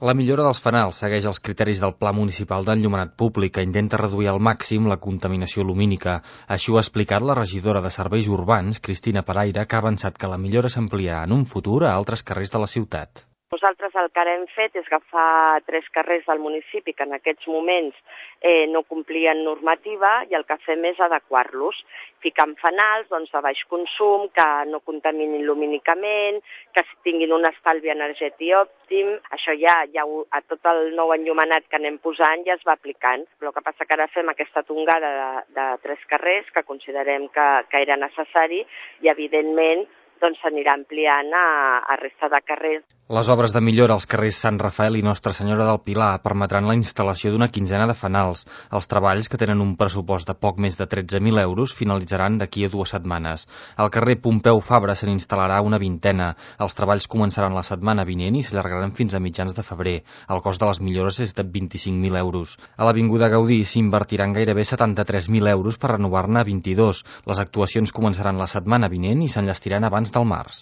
La millora dels fanals segueix els criteris del Pla Municipal d'Enllumenat Públic, que intenta reduir al màxim la contaminació lumínica. Així ho ha explicat la regidora de Serveis Urbans, Cristina Paraire, que ha avançat que la millora s'ampliarà en un futur a altres carrers de la ciutat. Nosaltres el que ara hem fet és agafar 3 carrers del municipi que en aquests moments no complien normativa i el que fem és adequar-los, ficant fanals de baix consum, que no contaminin lumínicament, que tinguin un estalvi energètic òptim. Això ja a tot el nou enllumenat que anem posant ja es va aplicant. Però el que passa que ara fem aquesta tongada de 3 carrers que considerem que era necessari i evidentment s'anirà ampliant a resta de carrers. Les obres de millora als carrers Sant Rafael i Nostra Senyora del Pilar permetran la instal·lació d'una quinzena de fanals. Els treballs, que tenen un pressupost de poc més de 13.000 euros, finalitzaran d'aquí a 2 setmanes. Al carrer Pompeu Fabra se n'instal·larà una vintena. Els treballs començaran la setmana vinent i s'allargaran fins a mitjans de febrer. El cost de les millores és de 25.000 euros. A l'Avinguda Gaudí s'invertiran gairebé 73.000 euros per renovar-ne 22. Les actuacions començaran la setmana vinent i s'enllestiran abans del març.